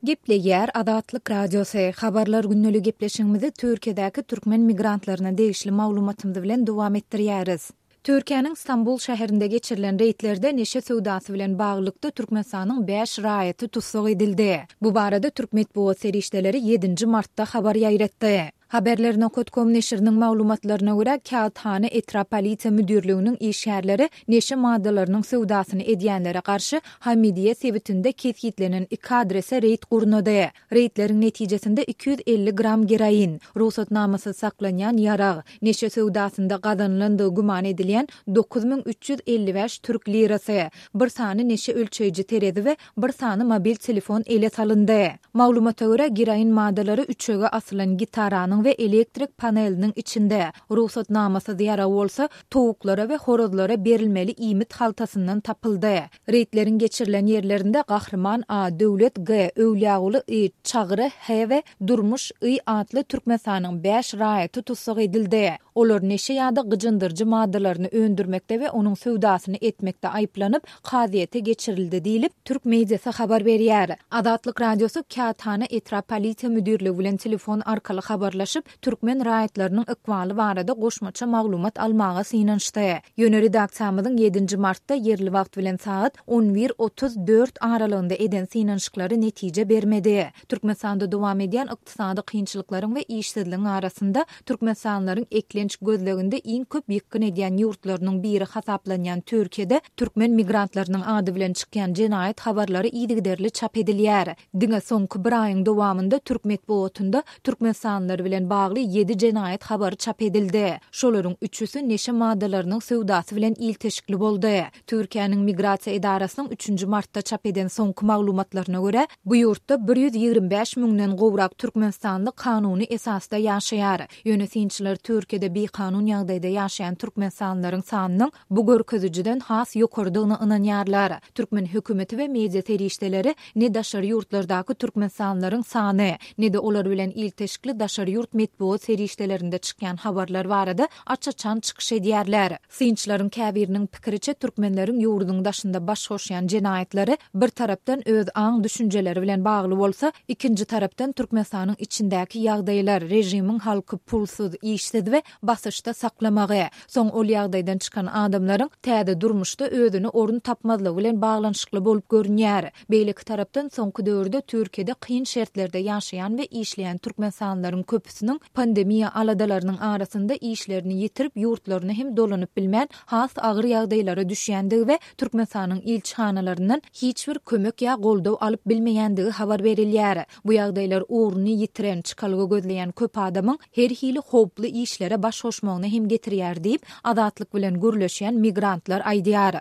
Gepleýär Azatlyk Radiosy, Habarlar gündeli gepleşigimizi Türkiýedäki türkmen migrantlaryna degişli maglumatymyz bilen dowam etdirýäris. Türkiýäniň Stambul şäherinde geçirilen reýdlerde neşe söwdasy bilen baglylykda Türkmenistanyň bäş raýaty tussag edildi. Bu barada türk metbugat serişdeleri ýedinji martda habar ýaýratdy. Haberler nokat kom neşiriniň maglumatlaryna görä, Kâğıthane etrap polisiýa müdirliginiň işgärleri neşe maddalarynyň söwdasyny edýänlere garşy Hamidiýe sebitinde kesgitlenen iki adrese reýd gurnady. Reýdleriň netijesinde 250 gram geroin, rugsatnamasyz saklanýan ýarag, neşe söwdasynda gazanylandygy güman edilýän 9355 türk lirasy, bir sany neşe ölçeýji terezi we bir sany mobil telefon ele salyndy. Maglumata görä, geroin maddalary üçege asylan gitaranyň we elektrik paneliniň içinde, rugsatnamasyz ýarag bolsa, towuklara we horazlara berilmeli iýmit haltasyndan tapyldy. Reýdleriň geçirilen ýerlerinde Gahryman A, Döwlet G, Öwlýaguly I, Çagry H we Durmuş I atly Türkmenistanyň bäş raýaty tussag edildi. Olar neşe ýa-da gyjyndyryjy maddalaryny öndürmekde we onuň söwdasyny etmekde aýyplanyp, kazyýete geçirildi diýlip, türk mediasy habar berýär. Azatlyk Radiosy Kâthana etrap polisiýa müdirligi bilen telefon arkaly habarlaşyp, türkmen raýatlarynyň ykbaly barada goşmaça maglumat almaga synanyşdy. Ýöne redaksiýamyzyň ýedinji martda ýerli wagt bilen sagat on bir 34 aralygynda eden synanyşyklary netije bermedi. Türkmenistanda dowam edýän ykdysady kynçylyklaryň we işsizligiň arasynda türkmenistanlylaryň eklenç gözleginde iň köp ýykgyn edýän ýurtlarynyň biri hasaplanýan Türkiýede türkmen migrantlarynyň ady bilen çykýan jenaýat habarlary yzygiderli çap edilýär. Diňe soňky bir aýyň dowamynda türk metbugatynda türkmenistanlylar bilen bagly ýedi jenaýat habary çap edildi. Şolaryň üçüsi neşe maddalarynyň söwdasy bilen ilteşikli boldy. Türkiýäniň Migrasiýa edarasynyň üçünji martda çap eden soňky maglumatlaryna görä, bu ýurtda 125 müňden gowrak türkmenistanly kanuny esasda ýaşaýar. Ýöne synçylar Türkiýede bikanun ýagdaýda ýaşaýan türkmenistanlylaryň sanynyň bu görkezijiden has ýokarydygyna ynanýarlar. Türkmen hökümeti we media serişdeleri ne daşary ýurtlardaky türkmenistanlylaryň sany, ne-de olar bilen ilteşikli daşary ýurt metbugat serişdelerinde çykýan habarlar barada aç-açan çykyş edýärler. Synçylaryň käbiriniň pikiriçe, türkmenleriň ýurduň daşynda baş goşýan jenaýatlary bir tarapdan öz aň-düşünjeleri bilen bagly bolsa, ikinji tarapdan Türkmenistanyň içindäki ýagdaýlar, režimiň halky pulsuz, işsiz we basyşda saklamagy, soň ol ýagdaýdan çykan adamlaryň täze durmuşda özüne orun tapmazlygy bilen baglanyşykly bolup görünýär. Beýleki tarapdan, soňky döwürde Türkiýede kyn şertlerde ýaşaýan we işleýän türkmenistanlylaryň köpüsiniň pandemiýa aladalarynyň arasynda işlerini ýitirip, ýurtlaryna hem dolanyp bilmän, has agyr ýagdaýlara düşýändigi we Türkmenistanyň ilçihanalaryndan hiç bir kömek ýa goldaw alyp bilmeýändigi habar berilýär. Bu ýagdaýlar ugruny ýitiren, çykalga gözleýän köp adamyň her hili howply işlere baş goşmagyna hem getirýär diýip, Azatlyk bilen gürleşýän migrantlar aýdýar.